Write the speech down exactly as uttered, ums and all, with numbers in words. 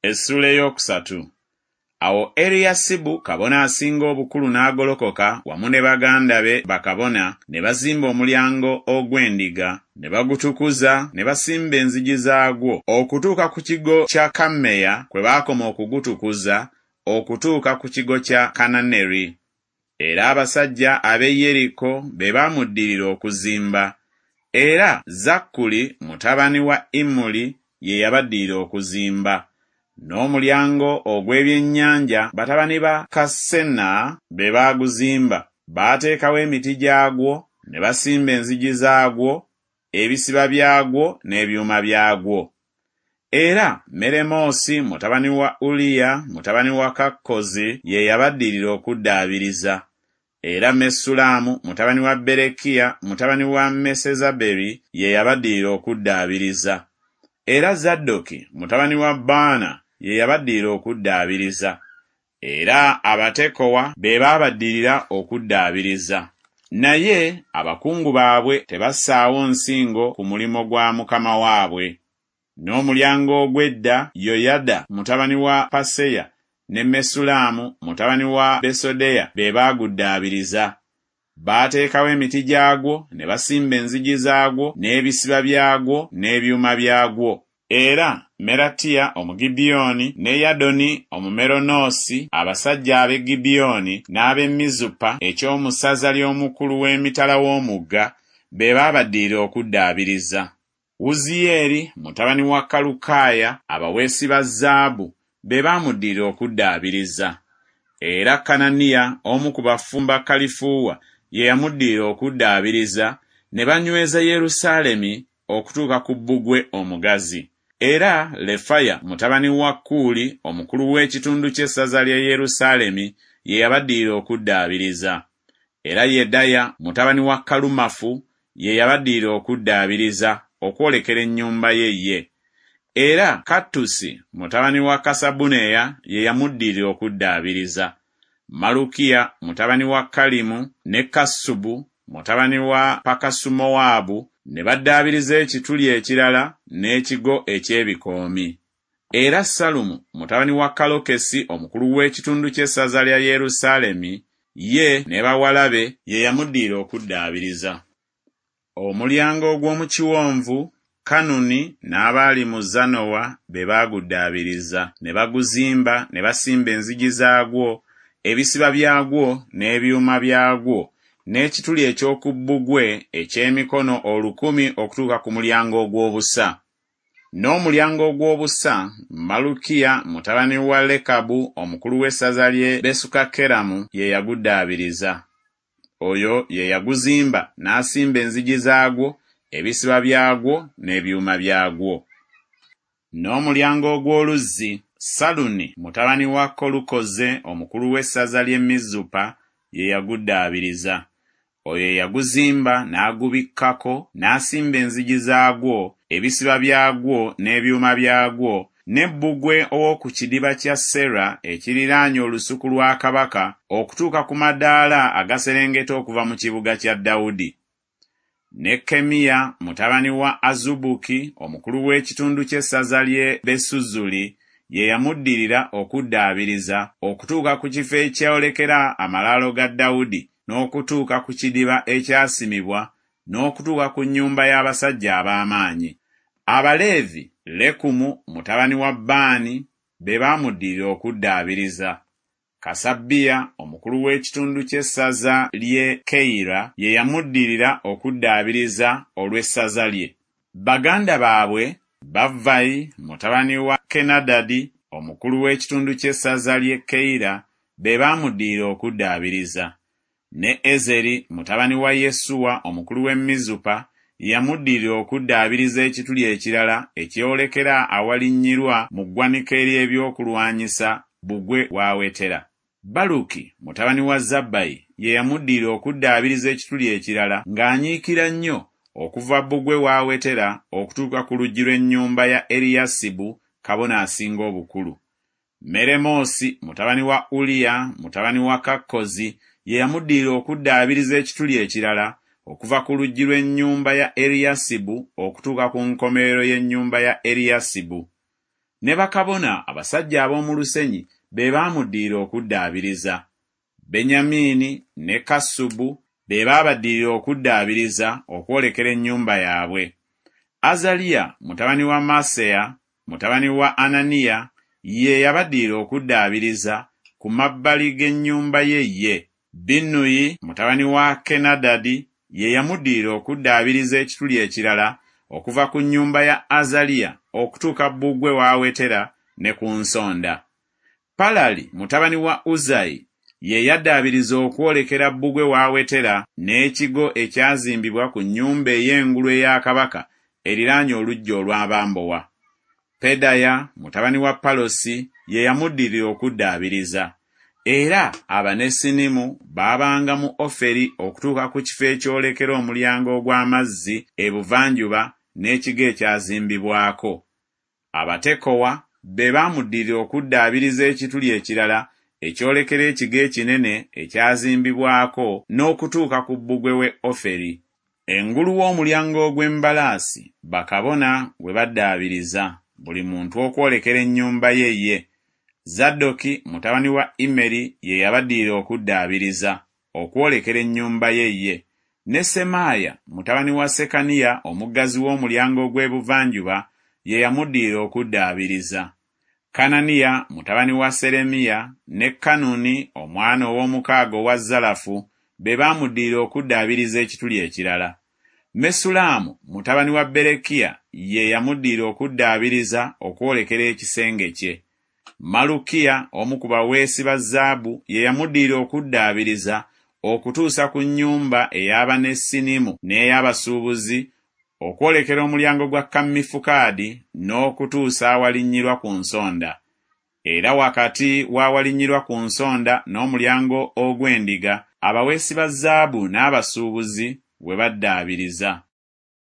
Essuula ey'okusatu. Awo Eriyasibu kabona asinga obukulu n'agolokoka wamu ne baganda be bakabona ne bazimba omulyango ogw'endiga ne bagutukuza ne basimba enzigi zaagwo okutuuka ku kigo kya Kammeya kwe baakoma okugutukuza okutuuka ku kigo kya Kananeri. Era abasajja ab'e Yeriko be baamuddirira okuzimba. Era Zakkuli mutabani wa Imuli ye yabaddirira okuzimba. N'omulyango ogw'ebyennyanja batabani ba Kassena be baaguzimba. Baateekawo emiti gyagwo ne basimba enzigi zaagwo, ebisiba byagwo n'ebyuma byagwo. Era Meremoosi mutabani wa Uliya mutabani wa Kakkozi ye yabaddirira okuddaabiriza. Era Mesulaamu mutabani wa Berekiya mutabani wa Mesezaberi ye yabaddirira okuddaabiriza. Era Zaddoki mutabani wa Baana ye yabaddirira okuddaabiriza. Era Abatekowa be baabaddirira okuddaabiriza. Naye abakungu baabwe tebassaawo nsingo ku mulimu gwa mukama waabwe. N'omulyango ogw'edda Yoyada mutabani wa Paseya ne Mesulaamu mutabani wa Besodeya be baaguddaabiriza. Baateekawo emiti gyagwo ne basimba enzigi zaagwo n'ebisiba byagwo n'ebyuma byagwo. Era Meratiya Omugibyoni ne Yadoni Omumeronoosi, abasajja ab'e Gibyoni n'ab'e Mizupa eky'omu ssaza ly'omukulu w'emitala w'omugga, be baabaddirira okuddaabiriza. Wuziyeeri mutabani wa Kalukaaya, abaweesi ba zaabu, be baamuddirira okuddaabiriza. Era Kananiya omu ku bafumba kalifuuwa ye yamuddirira okuddaabiriza, ne banyweza Yerusaalemi okutuuka ku bbugwe omugazi. Era Lefaya mutabani wa Kuuli omukulu w'ekitundu ky'essaza lya Yerusaalemi ye yabaddirira okuddaabiriza. Era Yedaya mutabani wa Kalumafu ye yabaddirira okuddaabiriza okwolekera ennyumba ye ye. Era Kattusi mutabani wa Kasabuneya ye yamuddirira okuddaabiriza. Malukiya mutabani wa Kalimu ne Kassubu mutabani wa Pakasumowaabu ne baddaabiriza ekituli ekirala n'ekigo eky'ebikoomi. Era Salumu mutabani wa Kalokesi omukulu w'ekitundu ky'essaza lya Yerusaalemi ye ne bawala be ye yamuddirira okuddaabiriza. Omulyango ogw'omu kiwonvu Kanuni n'abaali mu Zanowa be baaguddaabiriza ne baguzimba ne basimba enzigi zaagwo, ebisiba byagwo n'ebyuma byagwo, n'ekituli eky'oku bbugwe eky'emikono olukumi okutuuka ku mulyango ogw'obusa. N'omulyango ogw'obusa Malukiya mutabani wa Lekabu omukulu w'essaza ly'e Besukakeramu ye yaguddaabiriza. Oyo ye yaguzimba n'asimba enzigi zaagwo, ebisiba byagwo n'ebyuma byagwo. N'omulyango ogw'oluzzi Saluni mutabani wa Kolukoze omukulu w'essaza ly'e Mizupa ye yaguddaabiriza. Oyo yaguzimba n'agubikkako n'asimba enzigi zaagwo, ebisiba byagwo n'ebyuma byagwo, ne bbugwe ow'oku kidiba kya Sera ekiriraanye olusuku lwa kabaka okutuuka ku madaala agaserengeta okuva mu kibuga kya Dawudi. Ne Kemiya mutabani wa Azubuki omukulu w'ekitundu ky'essaza ly'e Besuzuli ye yamuddirira okuddaabiriza okutuuka ku kifo ekyolekera amalaalo ga Dawudi n'okutuuka ku kidiba ekyasimibwa n'okutuuka ku nnyumba y'abasajja ab'amaanyi. Abaleevi Lekumu mutabani wa Baani be baamuddirira okuddaabiriza. Kasabiya omukulu w'ekitundu ky'essaza ly'e Keyira ye yamuddirira okuddaabiriza olw'essaza lye. Baganda baabwe Bavvayi mutabani wa Kenadadi omukulu w'ekitundu ky'essaza ly'e Keyira be baamuddirira okuddaabiriza. Ne Ezeri mutabani wa Yesuwa omukulu w'e Mizupa yamuddirira okuddaabiriza ekituli ekirala ekyolekera awalinnyirwa mu ggwanika ery'ebyokulwanyisa bbugwe w'awetera. Baluki mutabani wa Zabbayi ye yamuddirira okuddaabiriza ekituli ekirala ng'anyiikira nnyo okuva bbugwe w'awetera okutuuka ku luggi lw'ennyumba ya Eriyasibu kabona asinga obukulu. Meremoosi mutabani wa Uliya mutabani wa Kakkozi ye yamuddirira okuddaabiriza ekituli ekirala okuva ku luggi lw'ennyumba ya Eriyasibu okutuuka ku nkomerero y'ennyumba ya Eriyasibu. Ne bakabona, abasajja ab'omu lusenyi, be baamuddirira okuddaabiriza. Benyamiini ne Kassubu be baabaddirira okuddaabiriza okwolekera ennyumba yaabwe. Azaliya mutabani wa Maaseya mutabani wa Ananiya ye yabaddirira okuddaabiriza ku mabbali g'ennyumba ye ye. Binnuyi mutabani wa Kenadadi ye yamuddirira okuddaabiriza ekituli ekirala okuva ku nnyumba ya Azaliya okutuuka bbugwe w'awetera ne ku nsonda. Palali mutabani wa Uzayi ye yaddaabiriza okwolekera bbugwe w'awetera n'ekigo ekyazimbibwa ku nnyumba ey'engulu eya kabaka eriraanye oluggya olw'abambowa. Pedaya mutabani wa Palosi ye yamuddirira okuddaabiriza. Era Abanesinimu baabanga mu Oferi okutuuka ku kifo ekyolekera omulyango ogw'amazzi ebuvanjuba n'ekigo ekyazimbibwako. Abatekowa be baamuddirira okuddaabiriza ekituli ekirala ekyolekera ekigo ekinene ekyazimbibwako n'okutuuka ku bbugwe w'e Oferi. Engulu w'omulyango ogw'embalaasi bakabona we baddaabiriza, buli muntu okwolekera ennyumba ye ye. Zadooki mutabani wa Immeri ye yabaddirira okuddaabiriza, okwolekera ennyumba ye ye. Ne Semaaya mutabani wa Sekaniya omuggazi w'omulyango ogw'ebuvanjuba ye yamuddirira okuddaabiriza. Kananiya mutabani wa Seremiya ne Kanuni omwana ow'omukaaga owa Zalafu be baamuddirira okuddaabiriza ekituli ekirala. Mesulaamu mutabani wa Berekiya ye yamuddirira okuddaabiriza okwolekera ekisenge kye. Malukiya omu ku baweesi ba zaabu ye yamuddirira okuddaabiriza okutuusa ku nnyumba ey'Abanesinimu n'ey'abasuubuzi okwolekera omulyango gwa Kammifukaadi n'okutuusa awalinnyirwa ku nsonda. Era wakati w'awalinnyirwa ku nsonda n'omulyango ogw'endiga abaweesi ba zaabu n'abasuubuzi we baddaabiriza.